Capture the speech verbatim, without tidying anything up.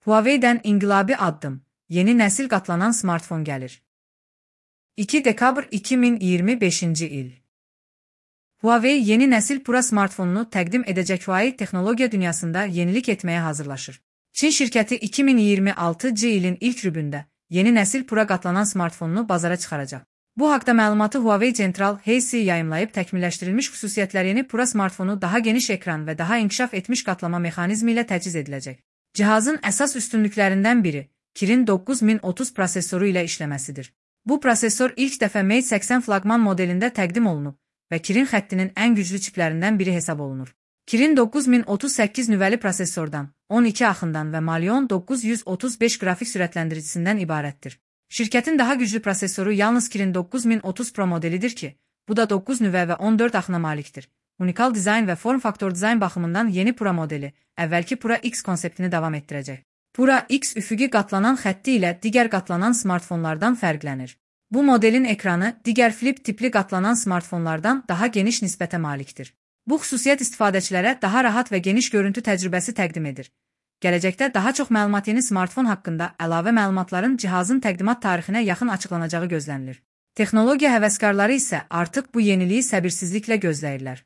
Huawei'dən inqilabi addım, yeni nəsil qatlanan smartfon gəlir. iki dekabr iki min iyirmi beşinci il. Huawei yeni nəsil Pro smartfonunu təqdim edəcək. Huawei texnologiya dünyasında yenilik etməyə hazırlaşır. Çin şirkəti iki min iyirmi altıncı ilin ilk rübündə yeni nəsil Pro qatlanan smartfonunu bazara çıxaracaq. Bu haqda məlumatı Huawei Central Heisi yayımlayıb. Təkmilləşdirilmiş xüsusiyyətləri yeni Pro smartfonu daha geniş ekran və daha inkişaf etmiş qatlama mexanizmi ilə təchiz ediləcək. Cihazın əsas üstünlüklərindən biri Kirin doqquz min otuz prosesoru ilə işləməsidir. Bu prosesor ilk dəfə Mate səksən flaqman modelində təqdim olunub və Kirin xəttinin ən güclü çiplərindən biri hesab olunur. Kirin doqquz min otuz səkkiz nüvəli prosesordan, on iki axından və Malion doqquz yüz otuz beş qrafik sürətləndiricisindən ibarətdir. Şirkətin daha güclü prosesoru yalnız Kirin doqquz min otuz Pro modelidir ki, bu da doqquz nüvə və on dörd axına malikdir. Unikal dizayn və form faktor dizayn baxımından yeni Pro modeli, əvvəlki Pro X konseptini davam etdirəcək. Pro X üfüqi qatlanan xətti ilə digər qatlanan smartfonlardan fərqlənir. Bu modelin ekranı digər flip tipli qatlanan smartfonlardan daha geniş nisbətə malikdir. Bu xüsusiyyət istifadəçilərə daha rahat və geniş görüntü təcrübəsi təqdim edir. Gələcəkdə daha çox məlumat yeni smartfon haqqında əlavə məlumatların cihazın təqdimat tarixinə yaxın açıqlanacağı gözlənilir. Texnologiya həvəskarları isə artıq bu yeniliyi səbirsizliklə gözləyirlər.